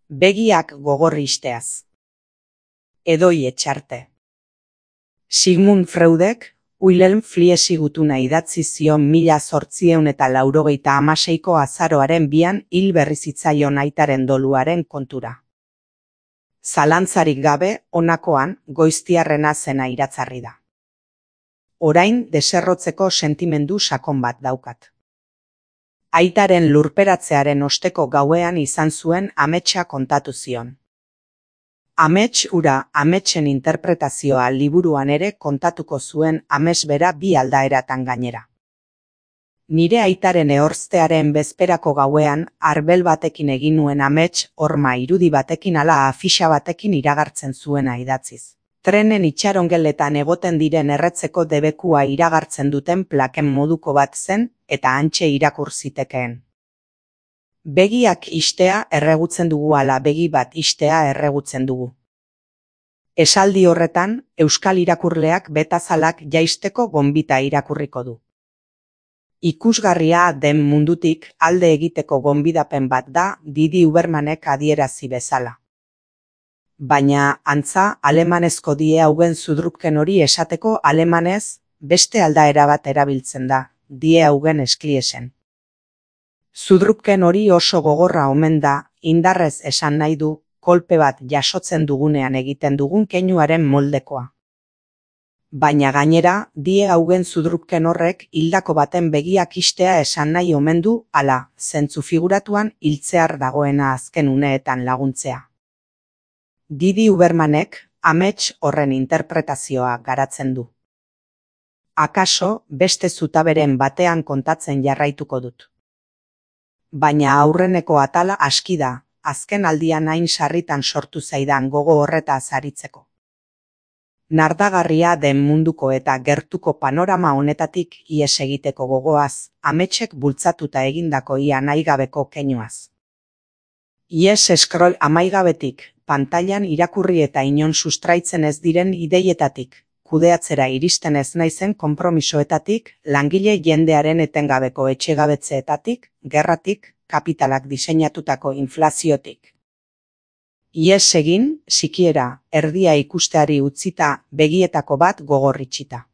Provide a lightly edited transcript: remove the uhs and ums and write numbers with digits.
Begiak gogor isteaz. Edoi Etxarte. Sigmund Freudek, Wilhelm Fliesi gutuna idatzi zion 1886ko azaroaren 2 hil berri zitzaion aitaren doluaren kontura. Zalantzarik gabe, honakoan, goiztiarrena zena iratzarri da. Orain deserrotzeko sentimendu sakon bat daukat. Aitaren lurperatzearen osteko gauean izan zuen ametsa kontatu zion. Amets hura, ametsen interpretazioa liburuan ere kontatuko zuen amets bera 2 aldaeratan gainera. Nire aitaren ehorztearen bezperako gauean, arbel batekin egin nuen amets horma irudi batekin ala afixa batekin iragartzen zuena idatziz. Trenen itxarongeletan egoten diren erretzeko debekua iragartzen duten plaken moduko bat zen eta hantxe irakur zitekeen. Begiak istea erregutzen dugu ala begi bat istea erregutzen dugu. Esaldi horretan, euskal irakurleak betazalak jaisteko gonbita irakurriko du. Ikusgarria den mundutik alde egiteko gonbidapen bat da Didi Ubermanek adierazi bezala. Baina, antza, alemanezko die haugen zudrupken hori esateko alemanez, beste aldaera bat erabiltzen da, die haugen eskliesen. Zudrupken hori oso gogorra omen da, indarrez esan nahi du, kolpe bat jasotzen dugunean egiten dugun keinuaren moldekoa. Baina gainera, die haugen zudrupken horrek hildako baten begiak istea esan nahi omen du, ala, zentzu figuratuan hiltzear dagoena azken uneetan laguntzea. Didi Ubermanek amets horren interpretazioa garatzen du. Akaso, beste zutaberen batean kontatzen jarraituko dut. Baina aurreneko atala aski da, azken aldian hain sarritan sortu zaidan gogo horretaz aritzeko. Nardagarria den munduko eta gertuko panorama honetatik ihes egiteko gogoaz, ametsek bultzatuta egindako ia nahigabeko keinuaz. Ihes scroll amaigabetik, pantailan irakurri eta inon sustraitzen ez diren ideietatik, kudeatzera iristen ez naizen konpromisoetatik, langile jendearen etengabeko etxegabetzeetatik, gerratik, kapitalak diseinatutako inflaziotik. Ihes egin, sikiera, erdia ikusteari utzita, begietako bat gogor itxita.